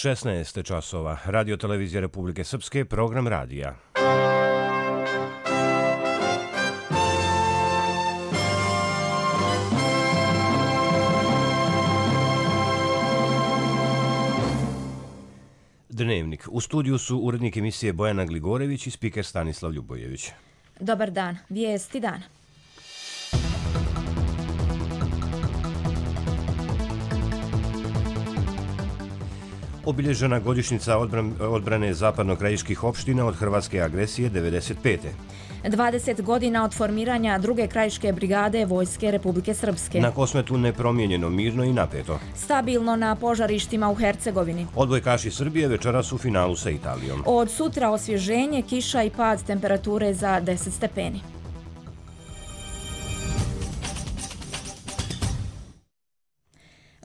16 časova. Radio televizija Republike Srpske, program radija. Dnevnik. U studiju su urednik emisije Bojana Gligorević i spiker Stanislav Ljubojević. Dobar dan. Vijesti dana. Obilježena godišnjica odbrane zapadno-krajiških opština od hrvatske agresije 1995. 20 godina od formiranja druge krajiške brigade Vojske Republike Srpske. Na Kosmetu nepromijenjeno, mirno i napeto. Stabilno na požarištima u Hercegovini. Odbojkaši Srbije večeras u finalu sa Italijom. Od sutra osvježenje, kiša i pad temperature za 10 stepeni.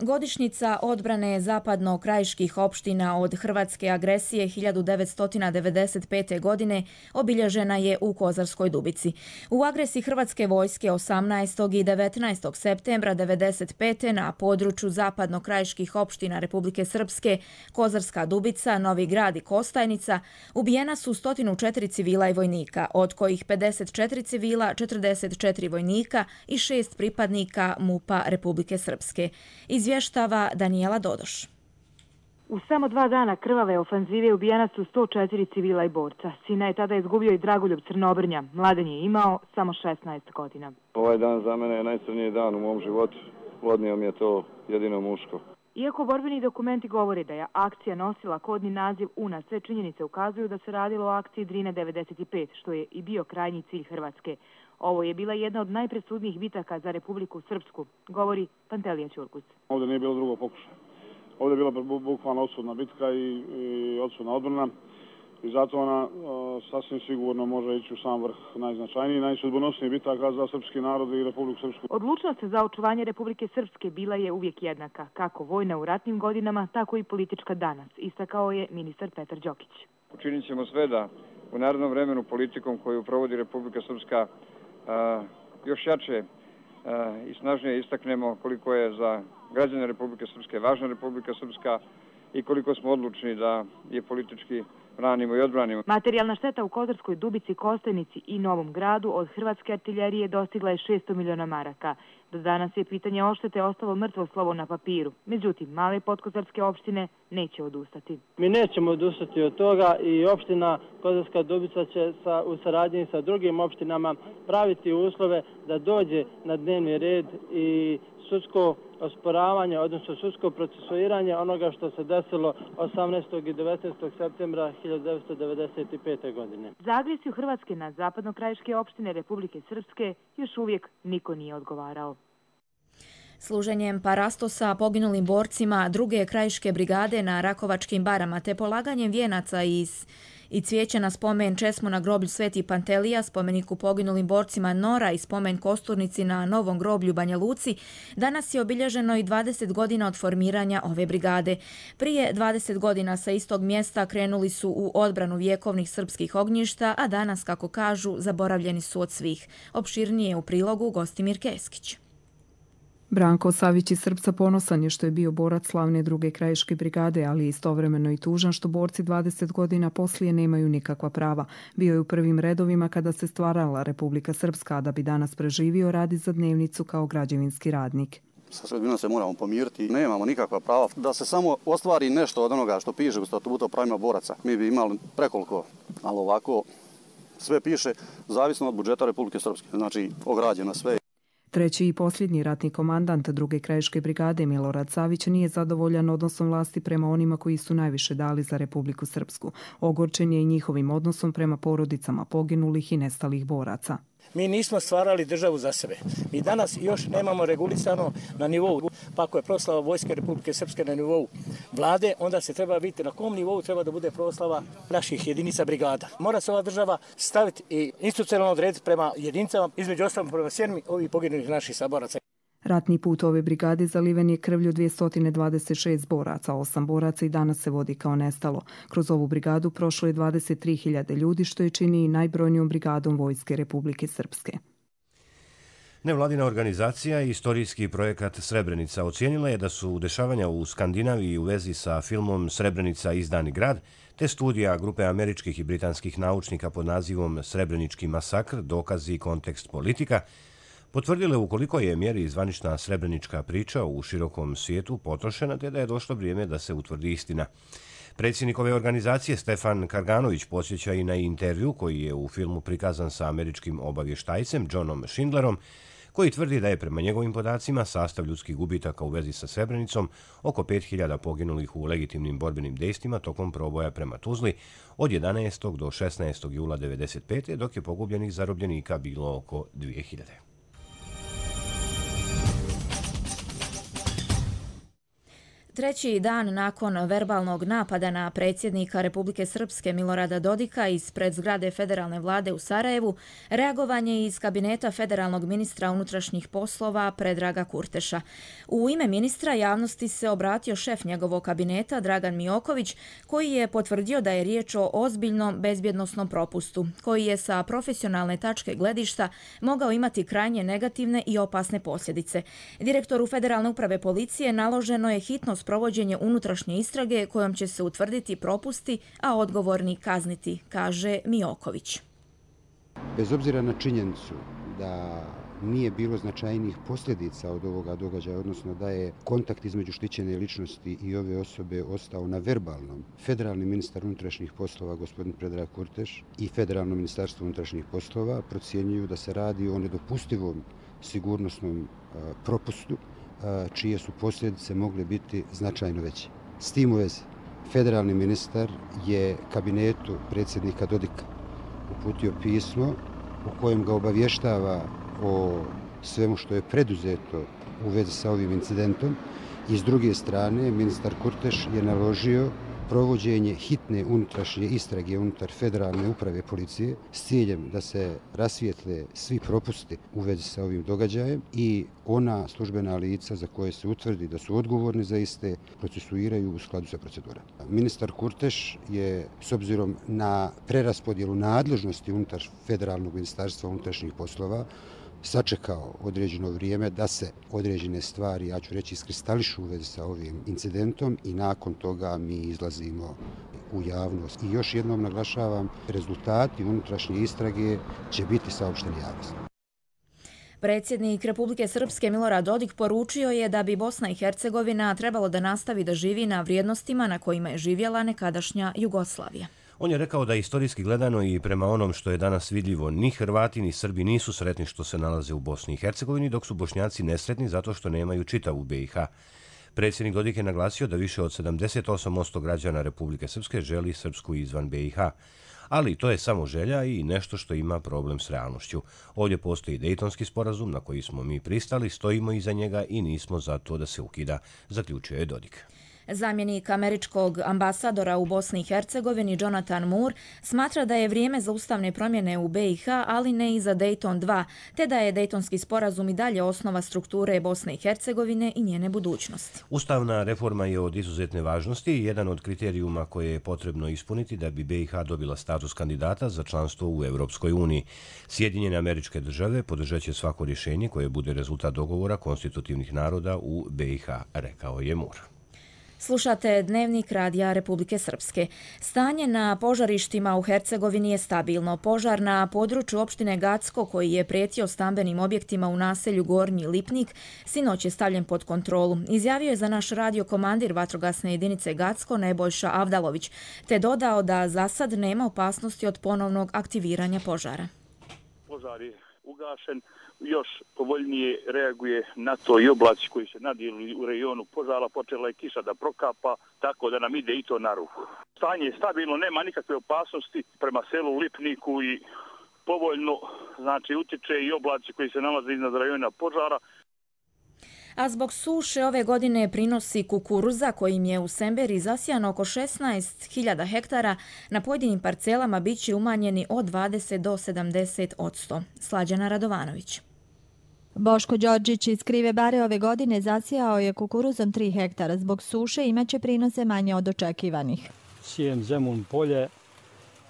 Godišnjica odbrane zapadno-krajiških opština od hrvatske agresije 1995. godine obilježena je u Kozarskoj Dubici. U agresiji hrvatske vojske 18. i 19. septembra 1995. na području zapadno-krajiških opština Republike Srpske, Kozarska Dubica, Novi Grad i Kostajnica ubijena su 104 civila i vojnika, od kojih 54 civila, 44 vojnika i 6 pripadnika MUP-a Republike Srpske. Izvještava Danijela Dodoš. U samo 2 dana krvave ofanzive ubijena su 104 civila i borca. Sina je tada izgubio i Dragoljub Crnobrnja. Mladen je imao samo 16 godina. Ovaj dan za mene je najcrniji dan u mom životu. Odnio mi je to jedino muško. Iako borbeni dokumenti govore da je akcija nosila kodni naziv UNA, sve činjenice ukazuju da se radilo o akciji Drine 95, što je i bio krajnji cilj Hrvatske. Ovo je bila jedna od najpresudnijih bitaka za Republiku Srpsku, govori Pantelija Ćurkus. Ovdje nije bilo drugo pokušaja. Ovdje je bila bukvalno odsudna bitka i odsudna odbrana. I zato ona sasvim sigurno može ići u sam vrh najznačajniji i najsudbonosnijih bitaka za srpski narod i Republiku Srpsku. Odlučnost za očuvanje Republike Srpske bila je uvijek jednaka, kako vojna u ratnim godinama, tako i politička danas, istakao je ministar Petar Đokić. Učinit ćemo sve da u narednom vremenu politikom koju provodi Republika Srpska još jače i snažnije istaknemo koliko je za građane Republike Srpske važna Republika Srpska i koliko smo odlučni da je politički branimo i odbranimo. Materijalna šteta u Kozarskoj Dubici, Kostajnici i Novom Gradu od hrvatske artiljerije dostigla je 600 miliona maraka. Do danas je pitanje odštete ostalo mrtvo slovo na papiru. Međutim, male podkozarske opštine neće odustati. Mi nećemo odustati od toga i opština Kozarska Dubica će u saradnji sa drugim opštinama praviti uslove da dođe na dnevni red i sudsko osporavanje, odnosno sudsko procesuiranje onoga što se desilo 18. i 19. septembra 1995. godine. Za agresiju Hrvatske na zapadno-krajiške opštine Republike Srpske još uvijek niko nije odgovarao. Služenjem parastosa poginulim borcima druge krajiške brigade na Rakovačkim barama te polaganjem vijenaca i cvijeća na spomen česmu na groblju Sveti Pantelija, spomeniku poginulim borcima Nora i spomen kosturnici na Novom groblju Banja Luci, danas je obilježeno i 20 godina od formiranja ove brigade. Prije 20 godina sa istog mjesta krenuli su u odbranu vjekovnih srpskih ognjišta, a danas, kako kažu, zaboravljeni su od svih. Opširnije u prilogu Gostimir Keskić. Branko Savić iz Srpca ponosan je što je bio borac slavne druge krajiške brigade, ali istovremeno i tužan što borci 20 godina poslije nemaju nikakva prava. Bio je u prvim redovima kada se stvarala Republika Srpska, a da bi danas preživio radi za dnevnicu kao građevinski radnik. Sa sredinom se moramo pomiriti, nemamo nikakva prava. Da se samo ostvari nešto od onoga što piše u statutu o pravima boraca. Mi bi imali prekoliko, ali ovako sve piše zavisno od budžeta Republike Srpske, znači ograđeno sve. Treći i posljednji ratni komandant druge krajiške brigade Milorad Savić nije zadovoljan odnosom vlasti prema onima koji su najviše dali za Republiku Srpsku. Ogorčen je i njihovim odnosom prema porodicama poginulih i nestalih boraca. Mi nismo stvarali državu za sebe. Mi danas još nemamo regulisano na nivou. Pa ako je proslava Vojske Republike Srpske na nivou vlade, onda se treba vidjeti na kom nivou treba da bude proslava naših jedinica brigada. Mora se ova država staviti i institucionalno odrediti prema jedinicama, između ostalog prema sjeni ovih poginulih naših saboraca. Ratni put ove brigade zaliven je krvlju 226 boraca, 8 boraca i danas se vodi kao nestalo. Kroz ovu brigadu prošlo je 23.000 ljudi, što je čini i najbrojnijom brigadom Vojske Republike Srpske. Nevladina organizacija i istorijski projekat Srebrenica ocijenila je da su dešavanja u Skandinaviji u vezi sa filmom Srebrenica izdani grad, te studija grupe američkih i britanskih naučnika pod nazivom Srebrenički masakr, dokazi i kontekst politika, potvrdile u koliko je mjeri zvanična srebrenička priča u širokom svijetu potrošena, te da je došlo vrijeme da se utvrdi istina. Predsjednik ove organizacije Stefan Karganović podsjeća i na intervju koji je u filmu prikazan sa američkim obavještajcem Johnom Schindlerom, koji tvrdi da je prema njegovim podacima sastav ljudskih gubitaka u vezi sa Srebrenicom oko 5000 poginulih u legitimnim borbenim dejstvima tokom proboja prema Tuzli od 11. do 16. jula 1995. dok je pogubljenih zarobljenika bilo oko 2000. Treći dan nakon verbalnog napada na predsjednika Republike Srpske Milorada Dodika ispred zgrade federalne vlade u Sarajevu, reagovanje iz kabineta federalnog ministra unutrašnjih poslova Predraga Kurteša. U ime ministra javnosti se obratio šef njegovog kabineta Dragan Mioković, koji je potvrdio da je riječ o ozbiljnom bezbjednosnom propustu, koji je sa profesionalne tačke gledišta mogao imati krajnje negativne i opasne posljedice. Direktoru Federalne uprave policije naloženo je hitno provođenje unutrašnje istrage kojom će se utvrditi propusti, a odgovorni kazniti, kaže Mioković. Bez obzira na činjenicu da nije bilo značajnijih posljedica od ovoga događaja, odnosno da je kontakt između štićene ličnosti i ove osobe ostao na verbalnom, federalni ministar unutrašnjih poslova gospodin Predrag Kurteš i federalno ministarstvo unutrašnjih poslova procjenjuju da se radi o nedopustivom sigurnosnom propustu čije su posljedice mogle biti značajno veće. S tim u vezi, federalni ministar je kabinetu predsjednika Dodika uputio pismo u kojem ga obavještava o svemu što je preduzeto u vezi sa ovim incidentom i s druge strane ministar Kurteš je naložio provođenje hitne unutrašnje istrage unutar Federalne uprave policije s ciljem da se rasvijetle svi propusti u vezi sa ovim događajem i ona službena lica za koje se utvrdi da su odgovorni za iste procesuiraju u skladu sa procedurama. Ministar Kurteš je s obzirom na preraspodjelu nadležnosti unutar Federalnog ministarstva unutrašnjih poslova sačekao određeno vrijeme da se određene stvari, ja ću reći, iskristališu u vezi sa ovim incidentom i nakon toga mi izlazimo u javnost. I još jednom naglašavam, rezultati unutrašnje istrage će biti saopšteni javnosti. Predsjednik Republike Srpske Milorad Dodik poručio je da bi Bosna i Hercegovina trebalo da nastavi da živi na vrijednostima na kojima je živjela nekadašnja Jugoslavija. On je rekao da istorijski gledano i prema onom što je danas vidljivo, ni Hrvati ni Srbi nisu sretni što se nalaze u Bosni i Hercegovini, dok su Bošnjaci nesretni zato što nemaju čitavu BiH. Predsjednik Dodik je naglasio da više od 78% građana Republike Srpske želi Srpsku izvan BiH. Ali to je samo želja i nešto što ima problem s realnošću. Ovdje postoji Dejtonski sporazum na koji smo mi pristali, stojimo iza njega i nismo za to da se ukida, zaključio je Dodik. Zamjenik američkog ambasadora u Bosni i Hercegovini Jonathan Moore smatra da je vrijeme za ustavne promjene u BiH, ali ne i za Dayton 2, te da je Dejtonski sporazum i dalje osnova strukture Bosne i Hercegovine i njene budućnosti. Ustavna reforma je od izuzetne važnosti i jedan od kriterijuma koje je potrebno ispuniti da bi BiH dobila status kandidata za članstvo u Europskoj uniji. Sjedinjene Američke Države podržat će svako rješenje koje bude rezultat dogovora konstitutivnih naroda u BiH, rekao je Moore. Slušate Dnevnik Radija Republike Srpske. Stanje na požarištima u Hercegovini je stabilno. Požar na području opštine Gacko, koji je prijetio stambenim objektima u naselju Gornji Lipnik, sinoć je stavljen pod kontrolu. Izjavio je za naš radio komandir vatrogasne jedinice Gacko Nebojša Avdalović, te dodao da za sad nema opasnosti od ponovnog aktiviranja požara. Požar je ugašen. Još povoljnije reaguje na to i oblaci koji se nadijeli u rejonu požara, počela je kiša da prokapa, tako da nam ide i to na ruku. Stanje je stabilno, nema nikakve opasnosti prema selu Lipniku i povoljno, znači utječe i oblaci koji se nalaze iznad rajona požara. A zbog suše ove godine prinosi kukuruza kojim je u Semberi zasijano oko 16.000 hektara na pojedinim parcelama biće umanjeni od 20 do 70%. Slađana Radovanović. Boško Đorđić iz Krive Bare ove godine zasijao je kukuruzom 3 hektara. Zbog suše imaće prinose manje od očekivanih. Sijem Zemun polje,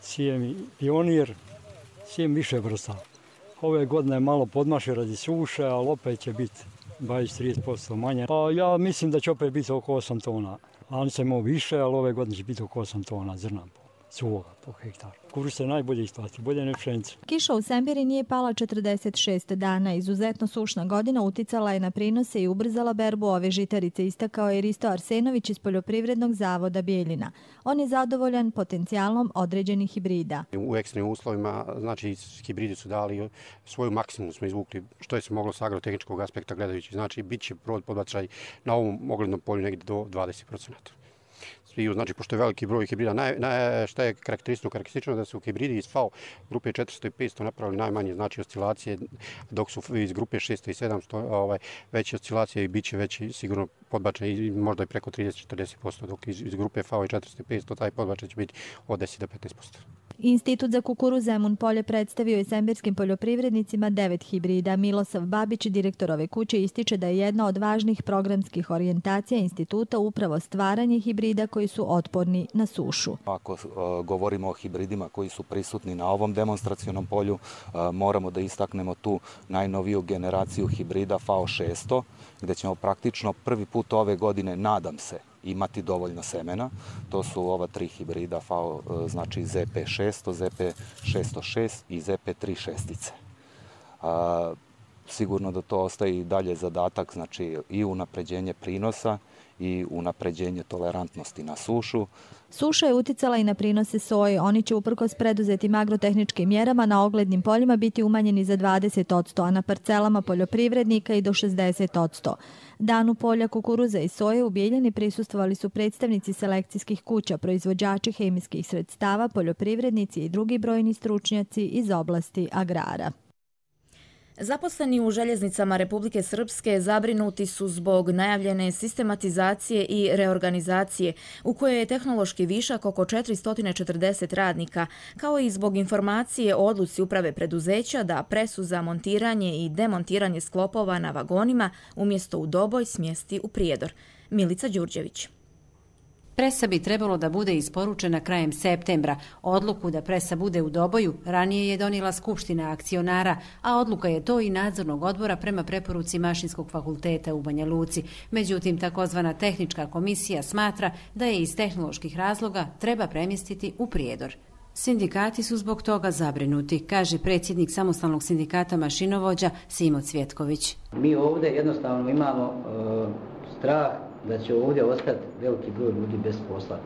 sijem Pionir, sijem više vrsta. Ove godine je malo podmašio radi suše, ali opet će biti 20-30% manje. Pa ja mislim da će opet biti oko 8 tona. Lani sam imao više, ali ove godine će biti oko 8 tona zrna suvoga po hektaru. Kukuruz se najbolje isplati, bolje nego pšenica. Kiša u Sembiri nije pala 46 dana. Izuzetno sušna godina uticala je na prinose i ubrzala berbu ove žitarice, istakao je Risto Arsenović iz Poljoprivrednog zavoda Bijeljina. On je zadovoljan potencijalom određenih hibrida. U ekstremnim uslovima, znači, hibridi su dali svoju maksimum, smo izvukli što je se moglo s agrotehničkog aspekta gledajući. Znači, bit će podbačaj na ovom oglednom polju negdje do 20%. Znači, pošto je veliki broj hibrida, šta je karakteristično da su hibridi iz FAO grupe 400 i 500 napravili najmanje, znači oscilacije, dok su iz grupe 600 i 700 veće oscilacije i bit će veći sigurno podbačaj i možda i preko 30-40%, dok iz grupe FAO i 400 i 500 taj podbačaj će biti od 10 do 15%. Institut za kukuruz Zemun Polje predstavio je sembirskim poljoprivrednicima 9 hibrida. Milosav Babić, direktor ove kuće, ističe da je jedna od važnih programskih orijentacija instituta upravo stvaranje hibrida koji su otporni na sušu. Ako govorimo o hibridima koji su prisutni na ovom demonstracionom polju, moramo da istaknemo tu najnoviju generaciju hibrida FAO 600, gdje ćemo praktično prvi put ove godine, nadam se, imati dovoljno semena. To su ova 3 hibrida FAO, znači ZP600, ZP606 i ZP36. Sigurno da to ostaje i dalje zadatak, znači i unapređenje prinosa i unapređenje tolerantnosti na sušu. Suša je uticala i na prinose soje. Oni će uprkos preduzetim agrotehničkim mjerama na oglednim poljima biti umanjeni za 20%, a na parcelama poljoprivrednika i do 60%. Danu polja kukuruza i soje u Bijeljini prisustvovali su predstavnici selekcijskih kuća, proizvođači hemijskih sredstava, poljoprivrednici i drugi brojni stručnjaci iz oblasti agrara. Zaposleni u željeznicama Republike Srpske zabrinuti su zbog najavljene sistematizacije i reorganizacije u kojoj je tehnološki višak oko 440 radnika, kao i zbog informacije o odluci uprave preduzeća da presu za montiranje i demontiranje sklopova na vagonima umjesto u Doboj smjesti u Prijedor. Milica Đurđević. Presa bi trebalo da bude isporučena krajem septembra. Odluku da presa bude u Doboju ranije je donijela Skupština akcionara, a odluka je to i nadzornog odbora prema preporuci Mašinskog fakulteta u Banja Luci. Međutim, takozvana tehnička komisija smatra da je iz tehnoloških razloga treba premjestiti u Prijedor. Sindikati su zbog toga zabrinuti, kaže predsjednik samostalnog sindikata mašinovođa Simo Cvjetković. Mi ovdje jednostavno imamo strah da će ovdje ostati veliki broj ljudi bez posla,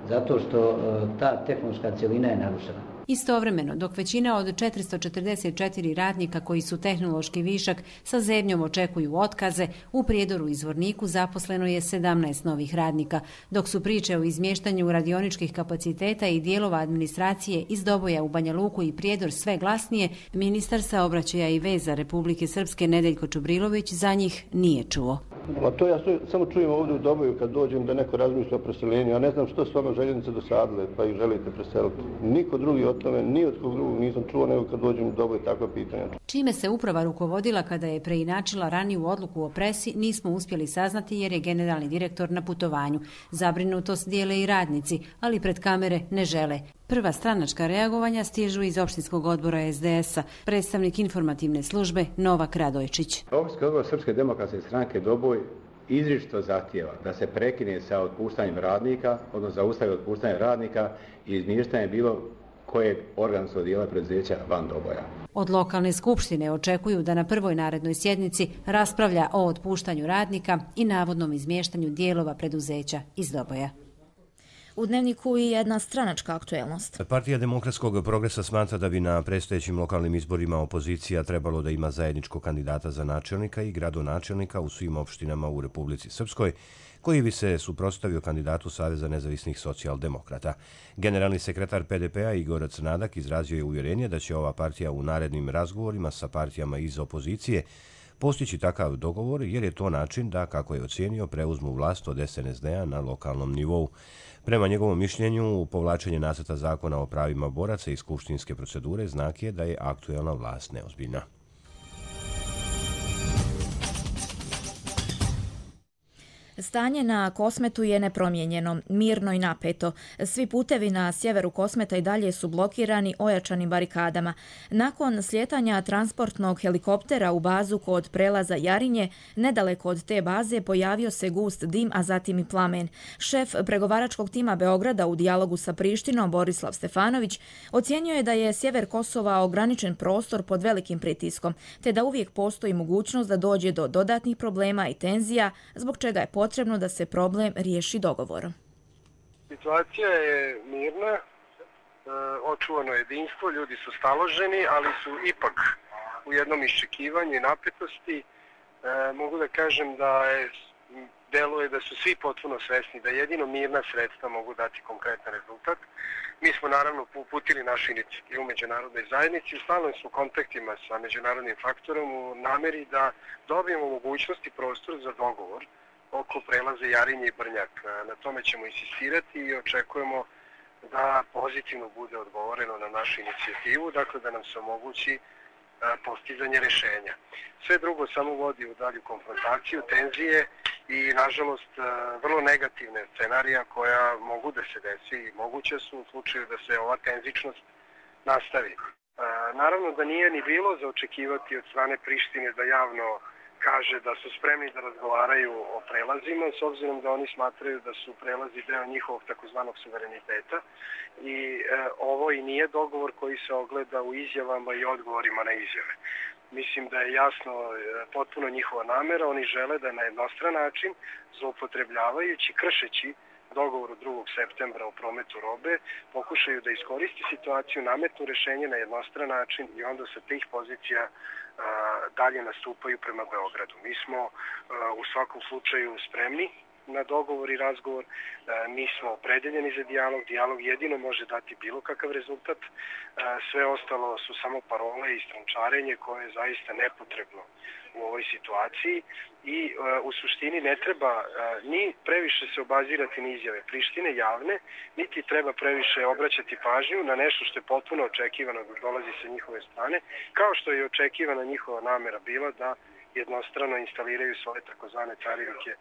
zato što ta tehnološka cjelina je narušena. Istovremeno, dok većina od 444 radnika koji su tehnološki višak sa zebnjom očekuju otkaze, u Prijedoru i Zvorniku zaposleno je 17 novih radnika, dok su priče o izmještanju radioničkih kapaciteta i dijelova administracije iz Doboja u Banja Luku i Prijedor sve glasnije, ministar saobraćaja i veza Republike Srpske Nedeljko Čubrilović za njih nije čuo. Ma to ja samo čujem ovdje u Doboju kad dođem da neko razmišlja o preseljenju. Ja ne znam što su vama željeznice dosadile pa ih želite preseliti. Niko drugi o tome, ni od kog drugog nisam čuo nego kad dođem u Doboj takva pitanja. Čime se uprava rukovodila kada je preinačila raniju odluku o presi, nismo uspjeli saznati jer je generalni direktor na putovanju. Zabrinutost dijele i radnici, ali pred kamere ne žele. Prva stranačka reagovanja stižu iz opštinskog odbora SDS-a, predstavnik informativne službe Novak Radojčić. Opštinski odbor Srpske demokratske stranke Doboj izričito zahtijeva da se prekine sa otpuštanjem radnika, odnosno zaustavi otpuštanje radnika i izmještanje bilo kojeg organskog dijela preduzeća van Doboja. Od lokalne skupštine očekuju da na prvoj narednoj sjednici raspravlja o otpuštanju radnika i navodnom izmještanju dijelova preduzeća iz Doboja. U Dnevniku i jedna stranačka aktuelnost. Partija Demokratskog progresa smatra da bi na predstojećim lokalnim izborima opozicija trebalo da ima zajedničkog kandidata za načelnika i gradonačelnika u svim opštinama u Republici Srpskoj, koji bi se suprotstavio kandidatu Saveza nezavisnih socijaldemokrata. Generalni sekretar PDP-a Igor Crnadak izrazio je uvjerenje da će ova partija u narednim razgovorima sa partijama iz opozicije postići takav dogovor jer je to način da, kako je ocijenio, preuzmu vlast od SNSD-a na lokalnom nivou. Prema njegovom mišljenju, povlačenje nacrta zakona o pravima boraca iz skupštinske procedure znak je da je aktuelna vlast neozbiljna. Stanje na Kosmetu je nepromijenjeno, mirno i napeto. Svi putevi na sjeveru Kosmeta i dalje su blokirani ojačanim barikadama. Nakon slijetanja transportnog helikoptera u bazu kod prelaza Jarinje, nedaleko od te baze pojavio se gust dim, a zatim i plamen. Šef pregovaračkog tima Beograda u dijalogu sa Prištinom, Borislav Stefanović, ocijenio je da je sjever Kosova ograničen prostor pod velikim pritiskom, te da uvijek postoji mogućnost da dođe do dodatnih problema i tenzija, zbog čega je potrebno da se problem riješi dogovorom. Situacija je mirna, očuvano jedinstvo, ljudi su staloženi, ali su ipak u jednom iščekivanju i napetosti. Mogu da kažem da deluje da su svi potpuno svesni da jedino mirna sredstva mogu dati konkretan rezultat. Mi smo naravno uputili našu inicijativu međunarodnoj zajednici, u stalnim smo kontaktima sa međunarodnim faktorom u nameri da dobijemo mogućnost i prostor za dogovor oko prelaza Jarinje i Brnjak. Na tome ćemo insistirati i očekujemo da pozitivno bude odgovoreno na našu inicijativu, dakle da nam se omogući postizanje rješenja. Sve drugo samo vodi u dalju konfrontaciju, tenzije i, nažalost, vrlo negativne scenarija koja mogu da se desi i moguće su u slučaju da se ova tenzičnost nastavi. Naravno da nije ni bilo za očekivati od strane Prištine da javno kaže da su spremni da razgovaraju o prelazima, s obzirom da oni smatraju da su prelazi deo njihovog takozvanog suvereniteta i ovo i nije dogovor koji se ogleda u izjavama i odgovorima na izjave. Mislim da je jasno potpuno njihova namera, oni žele da na jednostran način, zloupotrebljavajući, kršeći dogovor od 2. septembra o prometu robe, pokušaju da iskoristi situaciju, nametnu rješenje na jednostran način i onda sa tih pozicija dalje nastupaju prema Beogradu. Mi smo u svakom slučaju spremni na dogovor i razgovor, mi smo opredeljeni za dijalog jedino može dati bilo kakav rezultat, sve ostalo su samo parole i strančarenje koje je zaista nepotrebno u ovoj situaciji i u suštini ne treba ni previše se obazirati na izjave Prištine javne, niti treba previše obraćati pažnju na nešto što je potpuno očekivano da dolazi sa njihove strane, kao što je očekivana njihova namera bila da jednostrano instaliraju svoje takozvane carinike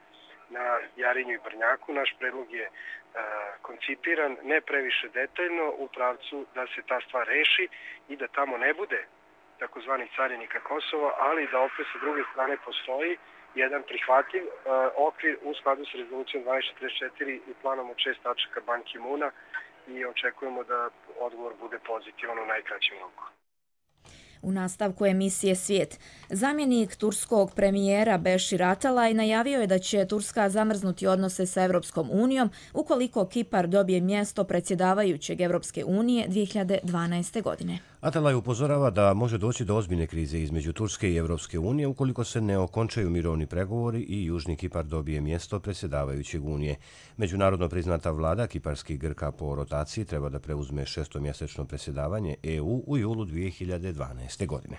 na Jarinju i Brnjaku. Naš predlog je koncipiran ne previše detaljno u pravcu da se ta stvar reši i da tamo ne bude takozvanih carinika Kosova, ali da opet sa druge strane postoji jedan prihvatljiv okvir u skladu s rezolucijom 1244 i planom od 6 tačaka Ban Ki-moona i očekujemo da odgovor bude pozitivan u najkraćem roku. U nastavku emisije Svijet, zamjenik turskog premijera Beşir Atalay najavio je da će Turska zamrznuti odnose sa Europskom unijom ukoliko Kipar dobije mjesto predsjedavajućeg Europske unije 2012. godine. Atalay upozorava da može doći do ozbiljne krize između Turske i Europske unije ukoliko se ne okončaju mirovni pregovori i Južni Kipar dobije mjesto predsjedavajućeg unije. Međunarodno priznata vlada kiparskih Grka po rotaciji treba da preuzme šestomjesečno predsjedavanje EU u julu 2012. godine.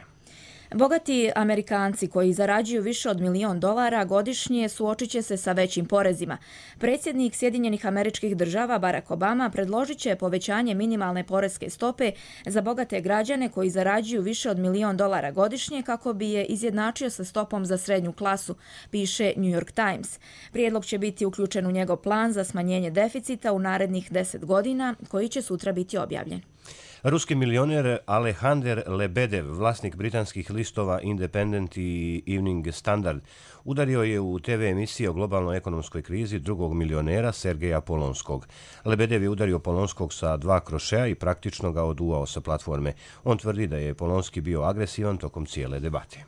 Bogati Amerikanci koji zarađuju više od $1 milion godišnje suočit će se sa većim porezima. Predsjednik Sjedinjenih Američkih Država Barack Obama predložit će povećanje minimalne poreske stope za bogate građane koji zarađuju više od $1 milion godišnje kako bi je izjednačio sa stopom za srednju klasu, piše New York Times. Prijedlog će biti uključen u njegov plan za smanjenje deficita u narednih 10 godina koji će sutra biti objavljen. Ruski milioner Aleksandar Lebedev, vlasnik britanskih listova Independent i Evening Standard, udario je u TV emisiji o globalnoj ekonomskoj krizi drugog milionera Sergeja Polonskog. Lebedev je udario Polonskog sa 2 krošeja i praktično ga oduvao sa platforme. On tvrdi da je Polonski bio agresivan tokom cijele debate.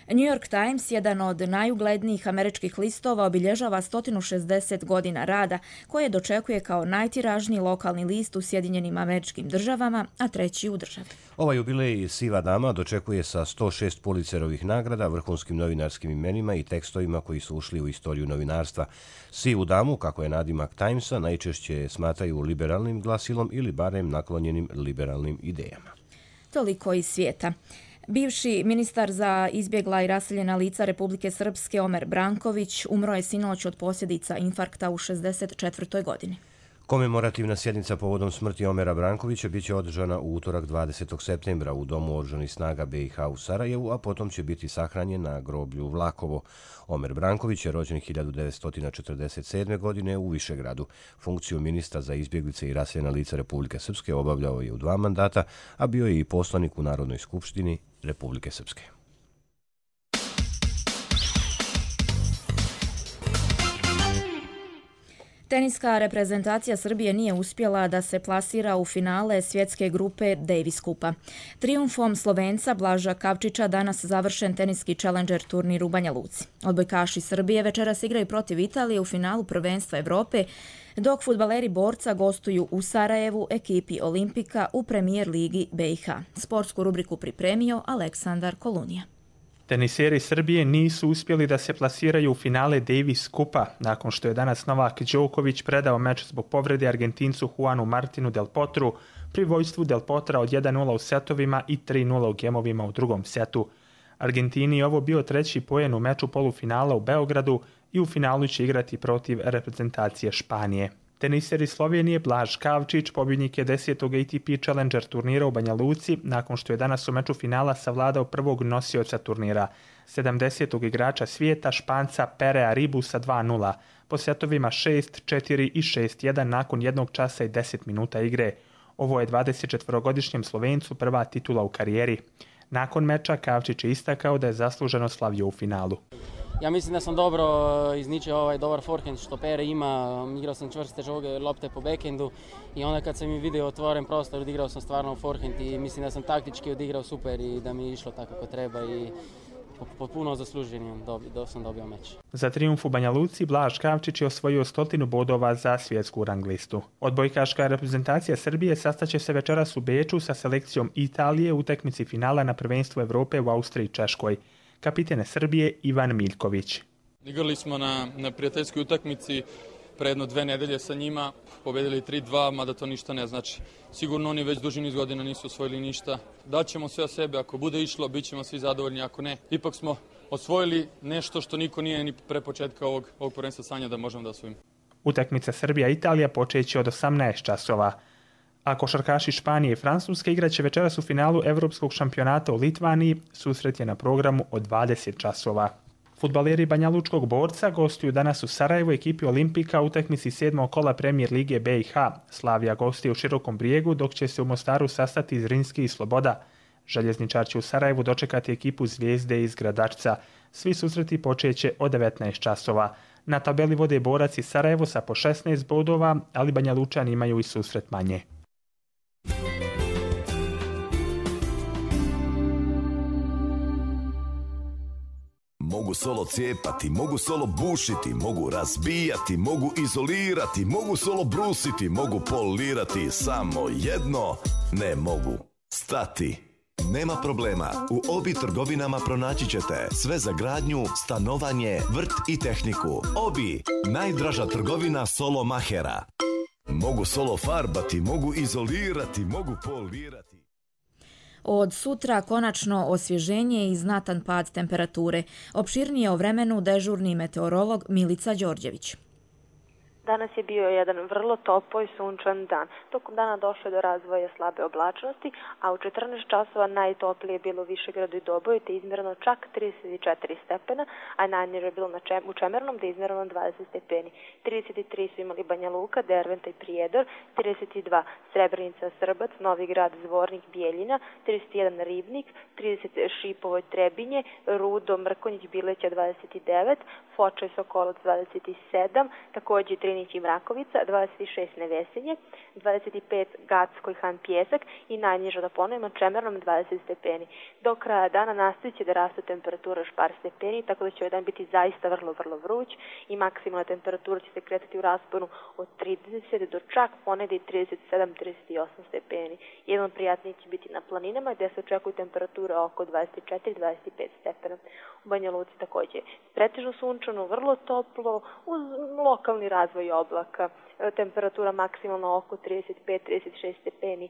New York Times, jedan od najuglednijih američkih listova, obilježava 160 godina rada, koje dočekuje kao najtiražniji lokalni list u Sjedinjenim Američkim Državama, a treći u državi. Ovaj jubilej Siva dama dočekuje sa 106 Pulitzerovih nagrada, vrhunskim novinarskim imenima i tekstovima koji su ušli u istoriju novinarstva. Sivu damu, kako je nadimak Timesa, najčešće smatraju liberalnim glasilom ili barem naklonjenim liberalnim idejama. Toliko iz svijeta. Bivši ministar za izbjegla i raseljena lica Republike Srpske Omer Branković umro je sinoć od posljedica infarkta u 64. godini. Komemorativna sjednica povodom smrti Omera Brankovića biće održana u utorak 20. septembra u Domu oružanih snaga BiH u Sarajevu, a potom će biti sahranjen na groblju Vlakovo. Omer Branković je rođen 1947. godine u Višegradu. Funkciju ministra za izbjeglice i raseljena lica Republike Srpske obavljao je u 2 mandata, a bio je i poslanik u Narodnoj skupštini Republike Srpske. Teniska reprezentacija Srbije nije uspjela da se plasira u finale svjetske grupe Davis Kupa. Trijumfom Slovenca Blaža Kavčića danas završen teniski Challenger turnir u Banja Luci. Odbojkaši Srbije večeras igraju protiv Italije u finalu prvenstva Evrope, dok fudbaleri Borca gostuju u Sarajevu ekipi Olimpika u premijer ligi BiH. Sportsku rubriku pripremio Aleksandar Kolunija. Teniseri Srbije nisu uspjeli da se plasiraju u finale Davis Kupa, nakon što je danas Novak Đoković predao meč zbog povrede Argentincu Juanu Martinu Del Potru pri vojstvu Del Potra od 1-0 u setovima i 3-0 u gemovima u drugom setu. Argentini je ovo bio 3. poen u meču polufinala u Beogradu i u finalu će igrati protiv reprezentacije Španije. Teniseri Slovenije Blaž Kavčić pobjednik je 10. ATP Challenger turnira u Banja Luci nakon što je danas u meču finala savladao prvog nosioca turnira, 70. igrača svijeta Španca Perea Ribusa 2-0, po setovima 6-4 i 6-1 nakon 1 časa i 10 minuta igre. Ovo je 24-godišnjem Slovencu prva titula u karijeri. Nakon meča Kavčić je istakao da je zasluženo slavio u finalu. Ja mislim da sam dobro izničio ovaj dobar forehand što Pere ima, igrao sam čvrste lopte po backhandu i onda kad sam mi vidio otvoren prostor odigrao sam stvarno forehand i mislim da sam taktički odigrao super i da mi je išlo tako kako treba i potpuno zasluženim sam dobio meč. Za trijumf u Banja Luci Blaž Kavčić je osvojio 100 bodova za svjetsku rang listu. Odbojkaška reprezentacija Srbije sastaće se večeras u Beču sa selekcijom Italije u utakmici finala na prvenstvu Evrope u Austriji i Češkoj. Kapitene Srbije Ivan Miljković. Igrali smo na prijateljskoj utakmici pre jedno 2 nedelje sa njima, pobedili 3-2, mada to ništa ne znači. Sigurno oni već duži niz godina nisu osvojili ništa. Daćemo sve o sebe, ako bude išlo, bit ćemo svi zadovoljni, ako ne. Ipak smo osvojili nešto što niko nije ni pre početka ovog prvenstva sanja da možemo da osvojimo. Utakmica Srbija-Italija počeće od 18 časova. A košarkaši Španije i Francuske igraće večeras u finalu Evropskog šampionata u Litvaniji, susret je na programu od 20 časova. Fudbaleri Banjalučkog Borca gostuju danas u Sarajevu ekipi Olimpika u utakmici 7. kola premijer lige BiH. Slavija gostuje u Širokom Brijegu, dok će se u Mostaru sastati Zrinski i Sloboda. Željezničar će u Sarajevu dočekati ekipu Zvijezde iz Gradačca. Svi susreti počeće od 19 časova. Na tabeli vode Borac i Sarajevo sa po 16 bodova, ali Banjalučani imaju i susret manje. Mogu solo cijepati, mogu solo bušiti, mogu razbijati, mogu izolirati, mogu solo brusiti, mogu polirati, samo jedno ne mogu stati. Nema problema, u Obi trgovinama pronaći ćete sve za gradnju, stanovanje, vrt i tehniku. Obi, najdraža trgovina solo mahera. Mogu solo farbati, mogu izolirati, mogu polirati. Od sutra konačno osvježenje i znatan pad temperature. Opširnije o vremenu dežurni meteorolog Milica Đorđević. Danas je bio jedan vrlo topao i sunčan dan. Tokom dana došlo je do razvoja slabe oblačnosti, a u 14 časova najtoplije je bilo u Višegradu i Doboju, te izmjereno čak 34 stepena, a najniže je bilo u Čemernom, gde je izmjereno 20 stepeni. 33 su imali Banja Luka, Derventa i Prijedor, 32 Srebrenica, Srbac, Novi Grad, Zvornik, Bijeljina, 31 Ribnik, 30 Šipovo i Trebinje, Rudo, Mrkonjić, Bileća 29, Foča i Sokolac 27, također Trinić i Mrakovica, 26 Nevesinje, 25 Gacko i Han Pjesak i najniža, da ponovimo, Čemernom 20 stepeni. Do kraja dana nastavit će da rastu temperatura još par stepeni, tako da će ovaj dan biti zaista vrlo vruć i maksimalna temperatura će se kretati u rasponu od 30 do čak ponegdje 37-38 stepeni. Jedan prijatniji će biti na planinama gdje se očekuju temperature oko 24-25 stepena. U Banja Luci također pretežno sunčano, vrlo toplo, uz lokalni razvoj oblaka. Temperatura maksimalno oko 35-36 stepeni.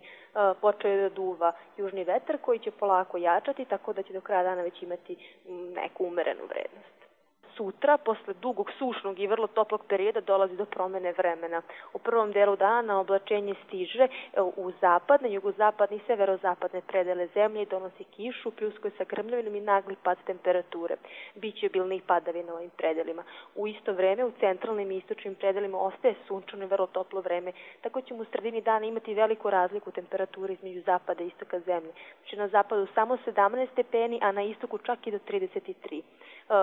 Počeo je da duva južni vetar koji će polako jačati, tako da će do kraja dana već imati neku umerenu vrednost. sutra, posle dugog sušnog i vrlo toplog perioda, dolazi do promene vremena. U prvom delu dana oblačenje stiže u zapadne, jugozapadne i severozapadne predele zemlje i donosi kišu, pljuskuje sa grmljavinom i nagli pad temperature. Biće obilnih padavina u ovim predelima. U isto vreme u centralnim i istočnim predelima ostaje sunčano i vrlo toplo vreme, tako ćemo u sredini dana imati veliku razliku temperature između zapada i istoka zemlje. Znači na zapadu samo 17 stepeni, a na istoku čak i do 33.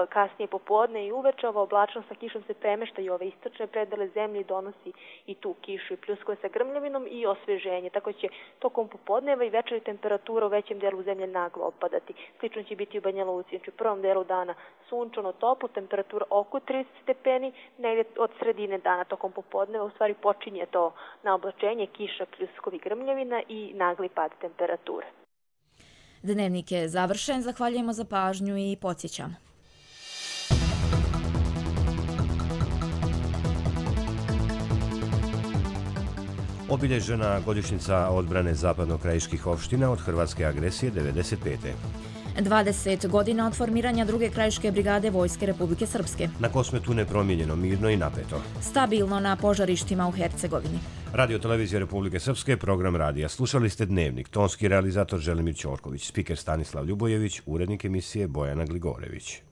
Kasnije popodne i uveče ova oblačnost sa kišom se premešta i ove istočne predele zemlje i donosi i tu kišu i pljuskuje sa grmljavinom i osveženje. Tako će tokom popodneva i večeri temperatura u većem delu zemlje naglo opadati. Slično će biti u Banja Luci. Znači u prvom delu dana sunčano toplo, temperatura oko 30 stepeni, negdje od sredine dana tokom popodneva u stvari počinje to na oblačenje, kiša, pljuskovi, grmljavina i nagli pad temperature. Dnevnik je završen, zahvaljujemo za pažnju i podsjećamo. Obilježena godišnjica odbrane zapadno-krajiških opština od hrvatske agresije 1995. 20 godina od formiranja druge krajiške brigade Vojske Republike Srpske. Na Kosmetu nepromijenjeno, mirno i napeto. Stabilno na požarištima u Hercegovini. Radio Televizija Republike Srpske, program radija. Slušali ste Dnevnik, tonski realizator Želimir Ćorković, spiker Stanislav Ljubojević, urednik emisije Bojana Gligorević.